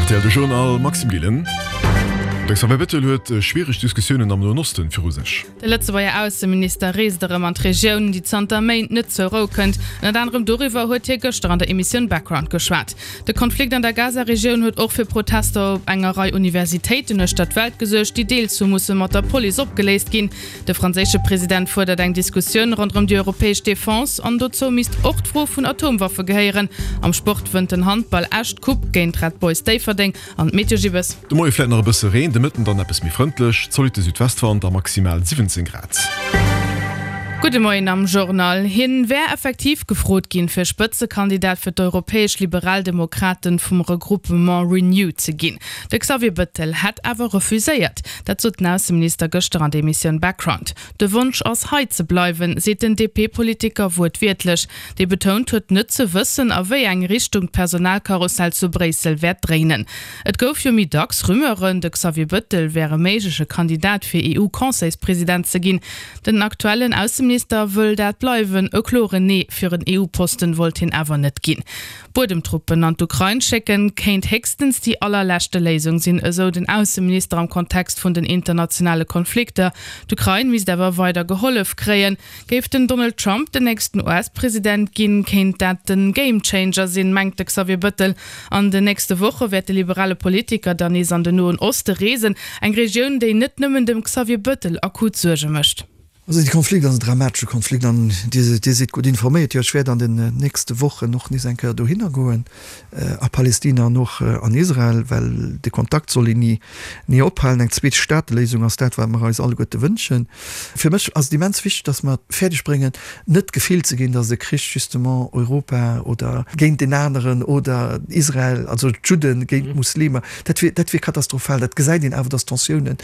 Rtl De Journal, Maxime Gillen. De Xavier Bettel huet schwiereg Diskussiounen am Noen Osten viru sech. De Lëtzebuerger Ausseminister reest erëm an d'Regioun, déi zanter Méint net zur Rou kënnt. Ënnert anerem doriwwer huet hie gëschter an der Emissioun Background geschwat. De Konflikt an der Gaza-Regioun huet och fir Protester op enger Rei Universitéiten uechter d'Welt gesuergt, déi deels hu musse mat der Police opgeléist ginn. De franséische President fuerdert eng Diskussioun ronderëm déi europäesch Defense an dozou misst och d'Fro vun Atomwaffe gehéieren. Am Sport wënnt den Handball Esch d'Coupe géint Red Boys Déifferdeng an d'Meteo Gibbes. De Moie vläit nach e bësse Reen, de Mëtten dann eppes méi frëndlech, zolitte Südwestwand a maximal 17 Grad. Gudde Moien am Journal. Hien wär effektiv gefrot ginn, fir Spëtzekandidat fir d'europäesch Liberaldemokraten vum Regroupement Renew ze ginn. De Xavier Bëttel hätt awer refuséiert. Dat sot den Ausseminister gëschter an der Emissioun Background. De Wonsch ass hei ze bleiwen, seet den DP-Politiker wuertwiertlech, dee betount huet net ze wëssen, a wéi eng Richtung d'Personalkarussell zu Bréissel wäert dréinen. Et gouf jo méi dacks Rumeuren, de Xavier Bëttel wär e méigleche Kandidat fir EU-Conseilspresident ze ginn. Den aktuellen Ausseminister wëll dat bleiwen, e kloren Nee fir en EU-Posten wollt hien awer net ginn. Buedemtruppen an d'Ukrain schécken, kéint héchstens déi allerleschte Léisung sinn, esou den Ausseminister am Kontext vun den internationale Konflikter. D'Ukrain misst awer weider gehollef kréien. Géif den Donald Trump den nächsten US-President ginn, kéint dat den Game-Changer sinn, mengt de Xavier Bëttel. An den nächste Woche wäert de liberale Politiker dann nees an den Noen Oste reesen, eng Regioun, déi net nëmmen dem Xavier Bëttel akut Suerge mécht. Also dee Konflikt ass en dramatesche Konflikt an Dir sidd gutt informéiert. Jo, ech wäert an den nächste Wochen och nees eng Kéier dohinner goen, a Palestina an och an Israel, well de Kontakt soll een ni, ni ophalen. Eng Zweestateléisung ass dat, wat mer eis alleguerte wënschen. Fir mech ass et immens wichteg, datt mer et fäerdeg bréngen, net d'Gefill ze ginn, datt e Krich justement Europa oder géint deen aneren oder Israel, also d'Judde géint d'Muslimer, dat wier, dat wier katastrophal. Dat gesäit een awer, datt Tensiounen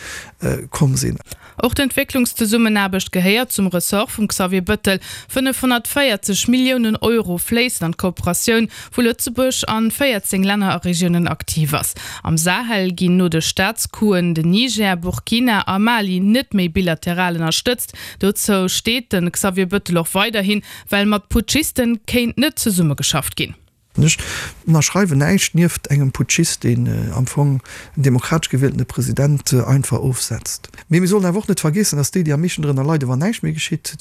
komm sinn. Och d'Entwécklungszesummenaarbecht gehéiert zum Ressort vum Xavier Bëttel. 540 Milliounen Euro fléissen an d'Kooperatioun, wou Lëtzebuerg an 14 Länner a Regiounen aktiv ass. Am Sahel ginn no de Staatscoupsen den Niger, Burkina a Mali net méi bilateral ënnerstëtzt. Dozou steet de Xavier Bëttel och weiderhin, well mat Putschisten kéint net zesummegeschafft ginn. Ech ënnerschreiwen näischt nieft engem Putschist, deen am Fong en demokratesch gewieltene President einfach ofsetzt. Mee mir sollen awer och net vergeessen, dass déi, déi am meeschten drënner leiden, wann näischt méi geschitt,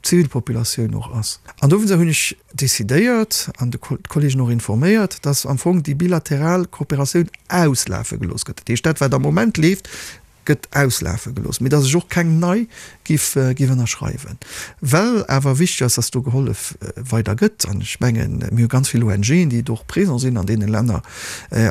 d'Zivilpopulatioun och ass. An dowéinster hunn ech decidéiert an d'Kollegen och informéiert, dass am Fong déi bilateral Kooperatioun auslafe gelooss gëtt. Dat heescht, dat wat am Moment leeft, gëtt auslafe gelooss, mee datt ech och keng nei giff giff ënnerschreiwen, well awer wichteg ass, datt do gehollef weider gëtt. An ech mengen, mir hu ganz vill ONGen, déi do och présent sinn an deene Länner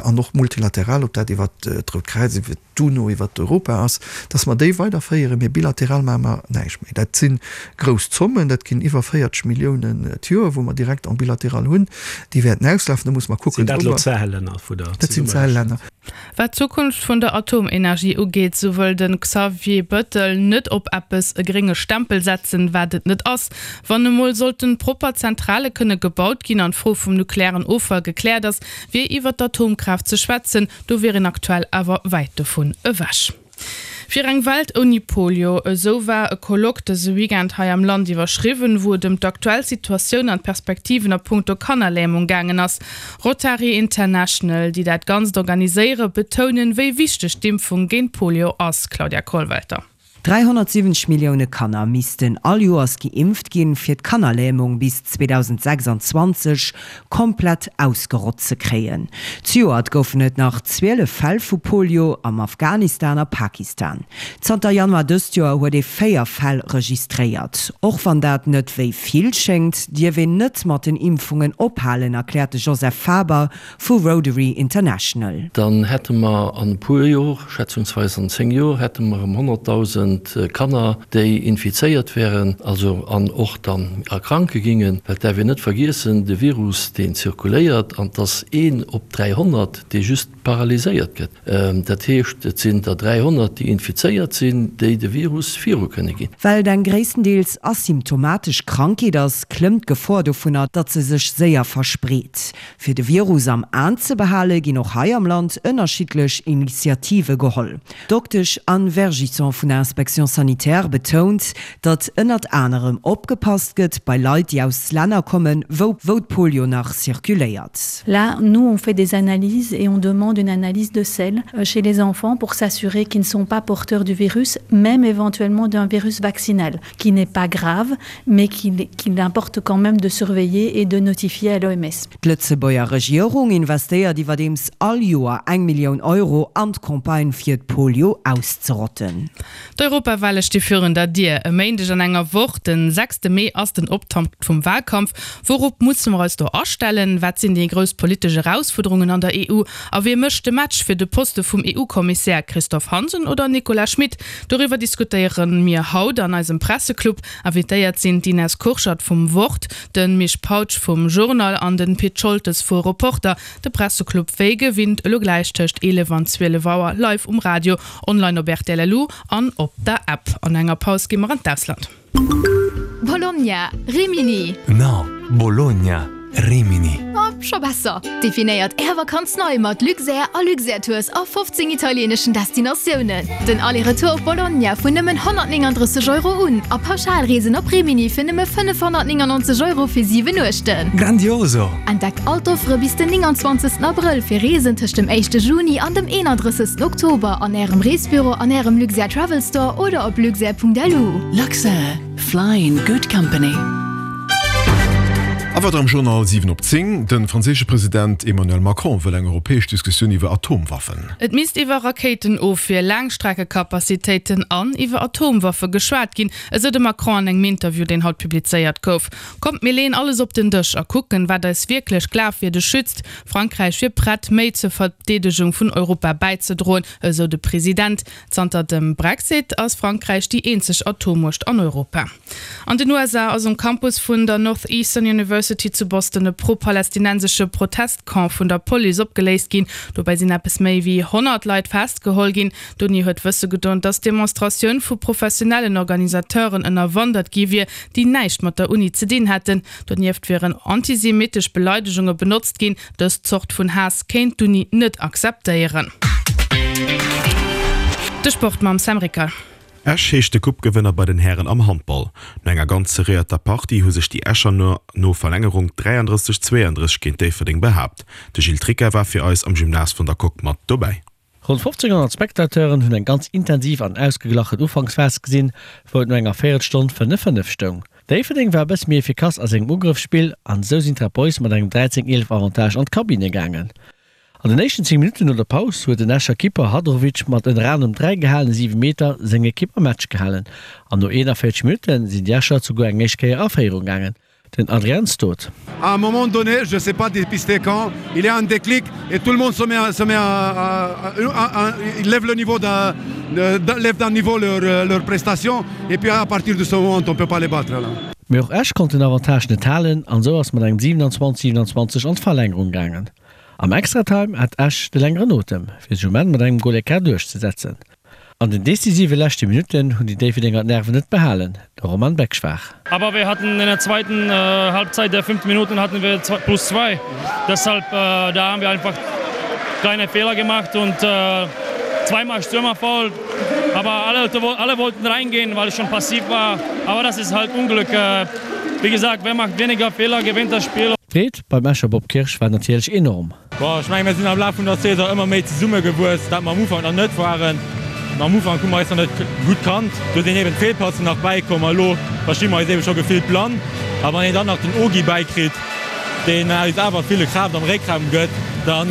an och multilateral, ob dat iwwert d'Rout Kräiz, iwwert d'UNO, iwwert Europa ass, datt mer déi weiderféieren, mee bilateral maache mer näischt méi. Dat si grouss Zommen, dat ginn iwwer 40 Milliounen d'Joer, wou mer direkt en bilatéral hunn, déi wäerten auslafen. Do musse mer kucken, Sinn dat elo d'Sahel-Länner, wou Der Dat sinn d'Sahel-Länner. Wat d'Zukunft vun der Atomenergie ugeet, sou wëll de Xavier Bëttel net op eppes e grénge Stempel setzen, wat et net ass. Wann emol sollten propper Zentrale kënne gebaut ginn an d'Fro vum nuklearen Offall gekläert ass, wier iwwer d'Atomkraaft ze schwätzen. Do wier een aktuell awer wäit dovun ewech. Fir eng Welt ouni Polio, esou war e Colloque dëse Weekend hei am Land iwwerschriwwen, wou et ëm d'aktuell Situatioun an d'Perspektiven a punkto Kannerlämung gaangen ass. Rotary International, déi dat Ganzt organiséiere, betounen, wéi wichteg d'Impfung géint Polio ass. Claudia Kollwelter. 370 Millioune Kanner missten all Joers geimpft ginn, fir d'Kannerlämung bis 2026 komplett ausgerott ze kréien. Zejoert goufen et nach 12 Fäll vu Polio am Afghanistan a Pakistan. Zanter Januar dëst Joer huet ee 4 Fäll registréiert. Och wann dat net wéi vill schéngt, dierf een net mat den Impfungen ophalen, erkläert de Joseph Faber vu Rotary International. Dann hätte mer an e puer Jor, schätzungsweis an 10 Jor, hätte mer erëm 100.000 Kanner, déi infizéiert wären, also an och dann erkranke gingen. Well et däerf een net vergiessen, de Virus, deen zirkuléiert, an 't ass een op 300, dee just paralyséiert gëtt. Dat heescht, et sinn der 300, déi infizéiert sinn, déi de Virus viru kënne ginn. Well et eng gréisstendeels asymptomatesch Krankheet ass, klëmmt d'Gefor dovunner, datt se sech séier verspreet. Fir de Virus am Aen ze behale ginn och hei am Land ënnerschiddlech Initiative geholl. D'Doktesch Anne Vergisson vun der Inspektioun. D'Inspection sanitaire betount, datt ënnert anerem opgepasst gëtt bei Leit, déi aus Länner kommen, wou wou d'Polio nach circuléiert. Là, nous on fait des analyses et on demande une analyse de selles chez les enfants pour s'assurer qu'ils ne sont pas porteurs du virus, même éventuellement d'un virus vaccinal, qui n'est pas grave, mais qu'il qu'il importe quand même de surveiller et de notifier à l'OMS. D'Lëtzebuerger Regierung investéiert iwwerdeems all Joer eng Millioun Euro an d'Campagne fir d'Polio auszerotten. D'Europawale sti virun der Dier. E Méindeg an enger Woch, den sechste Mee, ass den Optakt vum Walkampf. Wourop musse mer eis do astellen? Wat sinn déi grouss politesch Erausfuerderungen an der EU? A wie mécht de Match fir de Poste vum EU-Kommissär, Christophe Hansen oder Nicolas Schmit? Doriwwer diskutéiere mir haut an eisem Presseclub. Invitéiert sinn d'Ines Kurschat vum Wort, de Misch Pautsch vum Journal an de Pit Scholtes vu Reporter. De Presseclub wéi gewinnt elo gläich tëscht 11 an 12 Auer live um Radio, online op rtl.lu an op der App. An enger Paus gi mer an d'Ausland. Bologna, Rimini. No, Bologna. Rimini. Oh, scho besser! Definéiert Är Vakanz nei mat Luxair a Luxair Tours a 15 italieeneschen Destinatiounen. Den Aller-Retour op Bologna vun nëmmen 139 Euro un a Pauschalreesen op Rimini fir nëmme 599 Euro fir 7 Nuechten. Grandioso! Entdeckt all d'Offere bis den 29 Abrëll fir Reesen tëscht dem éischte Juni an dem 31 Oktober an Ärem Reesbüro, an Ärem Luxair Travel Store oder op luxair.lu. Luxair, fly in good company. A weider am Journal 7 op 10, De franséische President Emmanuel Macron wëll eng europäesch Diskussioun iwwer Atomwaffen. Et misst iwwer Rakéitenofwier, Laangstreckekapazitéiten an iwwer Atomwaffe geschwat ginn, esou de Macron an engem Interview, deen haut publizéiert gouf. Kommt mir leeën alles op den Dësch a kucken, wat eis wierklech glafwierdeg schützt. Frankräich wier prett, méi zur Verdeedegung vun Europa bäizedroen, esou de President. Zanter dem Brexit ass Frankräich déi eenzeg Atommuecht an Europa. An den USA ass um Campus vun der Northeastern University zu Boston e pro-palästinensesche Protestcamp vun der Police opgeléist ginn. Dobäi sinn eppes méi wéi 100 Leit festgeholl ginn. D'Uni huet wësse gedoen, datt d'Demonstratioun vu professionellen Organisateuren ënnerwandert gi wier, déi näischt mat der Uni ze dinn hätten. Donieft wieren antisemittesch Beleidegunge benotzt ginn. Dës Zort vun Haass kéint d'Uni net akzeptéieren. De Sport mam Sam Ricker. Esch heescht de Coupe-Gewënner bei den Hären am Handball. No enger ganz serréierter Partie hu sech déi Escher no Verlängerung 33, 32 géint Déifferdeng behaapt. De Gilles Tricca war fir eis am Gymnase vun der Coque mat dobäi. Ronn 1500 Spectateuren hunn eng ganz intensiv an ausgeglachen Ufanksphas gesinn, wou et no enger Véierelstonn 5, 5 stoung. Déifferdeng war e bësse méi efficace a sengem Ugrëffsspill an esou sinn d'Red Boys mat engem 13, 11 Avantage an d'Kabinne gaangen. An den éischten 10 Minutten no der Paus huet den Escher Kipper Hadrovic mat ënner anerem 3 gehalene Siwemeter seng Ekipp am Match gehalen an no 41 Minutte sinn déi Escher souguer eng éischt Kéier a Féierung gaangen. Den Adrian Stot. À un moment donné, je sais pas dépister quand, il y a un déclic et tout le monde se met à, se met à, à, à, à il lève le niveau d'un lève d'un niveau leur, leur prestation et puis à partir de ce moment on peut pas les battre là. Mee och Esch konnt den Avantage net halen an esou ass mat engem 27, 27 an d'Verlängerung gaangen. Am Extratime hat Esch de längeren Otem, fir sech um Enn mat engem Golécart duerchzesetzen. An den decisive leschte Minutten hunn déi Déifferdenger d'Nerven net behalen, de Roman Beckschwar. Aber wir hatten in der zweiten Halbzeit der fünften Minuten hatten wir plus zwei. Deshalb da haben wir einfach kleine Fehler gemacht und zweimal Stürmerfoul. Aber alle, alle wollten reingehen, weil es schon passiv war. Aber das ist halt Unglück. Wie gesagt, wer macht weniger Fehler, gewinnt das Spiel. D'Freed beim Escher Bob Kirsch war natierlech enorm. Bon, ech mengen, mir sinn am Laf vun der Saison ëmmer méi zesummegewuess, wat mer am Ufank nach net waren. Am Ufank hu mer eis nach net gutt kannt, do sinn eben d'Feelpassen nach bäikomm a lo versti mer eis eben scho gefillt blann. A wann een dann nach den Ogi bäikritt, deen eis awer ville Kraaft am Réckraum gëtt, dann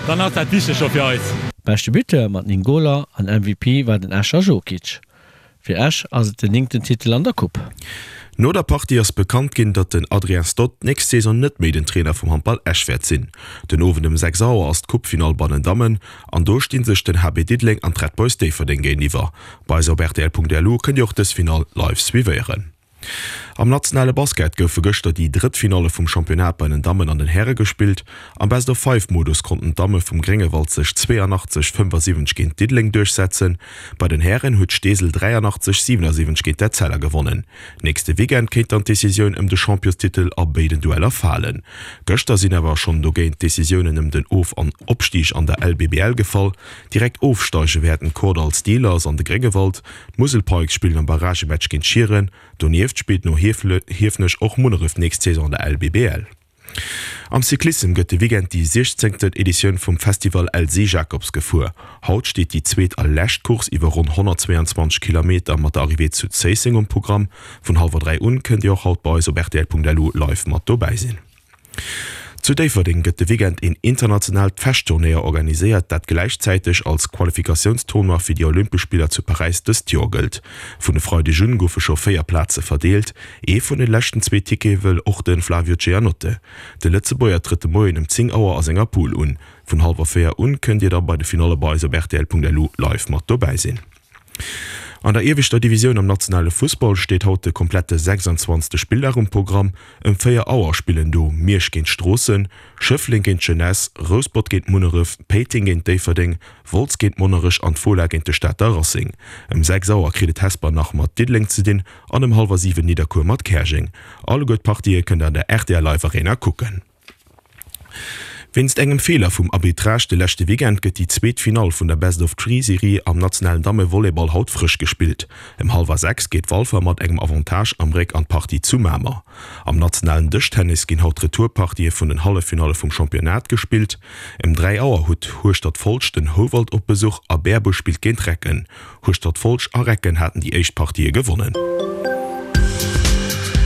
dann ass dat wichteg scho fir eis. Beschte Buteur mat 9 Goler an MVP war den Escher Jokic. Fir Esch ass et den néngten Titel an der Coupe. No der Partie ass bekannt ginn, datt den Adrien Stott d'nächst Saison net méi den Trainer vum Handball Esch wäert sinn. Den Owend ëm 6 Auer ass d'Coupe-Finall bei den Dammen an do sti sech den HB Diddeleng an d'Red Boys Déifferdeng géintiwwer. Bei eis op rtl.lu kënnt Dir och dës Finall live suivéieren. Am nationale Basket goufe gëschter déi drëtt Finalle vum Championnat bei den Dammen an den Häre gespillt. Am Best-of-Five-Modus konnten d'Damme vum Gréngewald sech 82, 75 géint Diddeleng duerchsetzen. Bei den Hären huet Steesel 83, 77 géint d'Etzella gewonnen. Nächste Weekend kéint dann d'Decisioun ëm de Championstitel a béiden Dueller falen. Gëschter sinn awer schonn dogéint d'Decisiounen ëm den Of an Opstig an der LBBL gefall. Direkt ofsteige wäerten d'Kordall Steelers an de Gréngewald. D'Musel Pikes spillen am Barragematch géint Schieren. Donieft spillt no Hiefenech och Munneref d'nächst Saison an der LBBL. Am Cyclissem gëtt de Weekend déi siechzéngten Editioun vum Festival Elsy Jacobs gefuer. Haut steet déi zweet a lescht Course iwwer ronn 122 Kilometer mat der Arrivée zu Zéisseng um Programm. Vun hallwer 3 un kënnt Dir och haut bei eis op rtl.lu live mat dobäi sinn. Zu Déifferdeng gëtt de Weekend een internationaalt Fechtturnéier organiséiert, dat gläichzäiteg als Qualifikatiounstournoi fir déi Olympesch Spiller zu Paräis dëst Joer gëllt. Vun e Freideg un goufe scho 4 Plaze verdeelt. Ee vun de leschten zwee Tickete wëll och de Flavio Giannotte. De Lëtzebuerger trëtt de Moien ëm 10 Auer a senger Poule un. Vun hallwer 4 un kënnt Dir da bei de Finalle bei eis op rtl.lu live mat dobäi sinn. An der ieweschter Divisioun am nationale Fussball steet haut de komplette 26. Spilldag um Programm. Ëm 4 Auer spillen do Miersch géint Stroossen, Schëffleng géint d'Jeunesse, Rouspert géint Munneref, Péiteng géint Déifferdeng, Wolz géint Monnerech an d'Fola géint de Stater Racing. Ëm 6 Auer kritt et Hesper nach mat Diddeleng ze dinn an ëm hallwer 7 Nidderkuer mat Käerjeng. Alleguer d'Partië kënnt der an der rtl Live Arena kucken. Wéinst engem Feeler vum Arbitrage de leschte Weekend gëtt déi zweet Finall vun der Best-of-Three-Serie am nationalen Damme-Volleyball haut frësch gespillt. Ëm hallwer 6 geet Walfer mat engem Avantage am Réck an d'Partie zu Mamer. Am nationalen Dëschtennis ginn haut d'Retourpartië vun den Halleffinalle vum Championnat gespillt. Ëm 3 Auer huet Hueschtert-Folscht den Houwald op Besuch a Berbuerg spillt géint Recken. Hueschtert-Folscht a Recken haten déi éischt Partië gewonnen.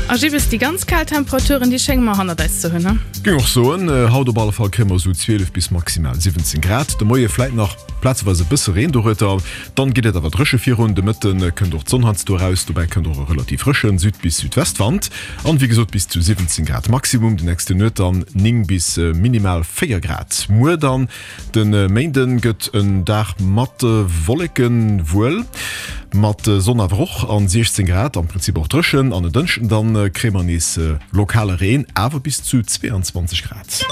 A Gibbes, déi ganz kal Temperaturen, déi schénge mer hannert eis ze hunn, he? Géing och soen, haut op alle Fall kréie mer esou 12 bis maximal 17 Grad. De Moie vläit nach plazeweis e bësse Reen dorueter, dann geet et awer dréche virun. De Mëtte kënnt och d'Sonn heiansdo eraus, dobäi kënnt och e relativ frësche Süd bis Südwestwand an wéi gesot bis zu 17 Grad Maximum. De nächste Nuet dann 9 bis minimal 4 Grad. Muer dann De Méinden gëtt en Dag mat Wolleken, wuel mat Sonn awer och an 16 Grad, am Prinzip och dréchen. An en Dënschden dann kréie mer nees lokale Reen, awer bis zu 22 Grad.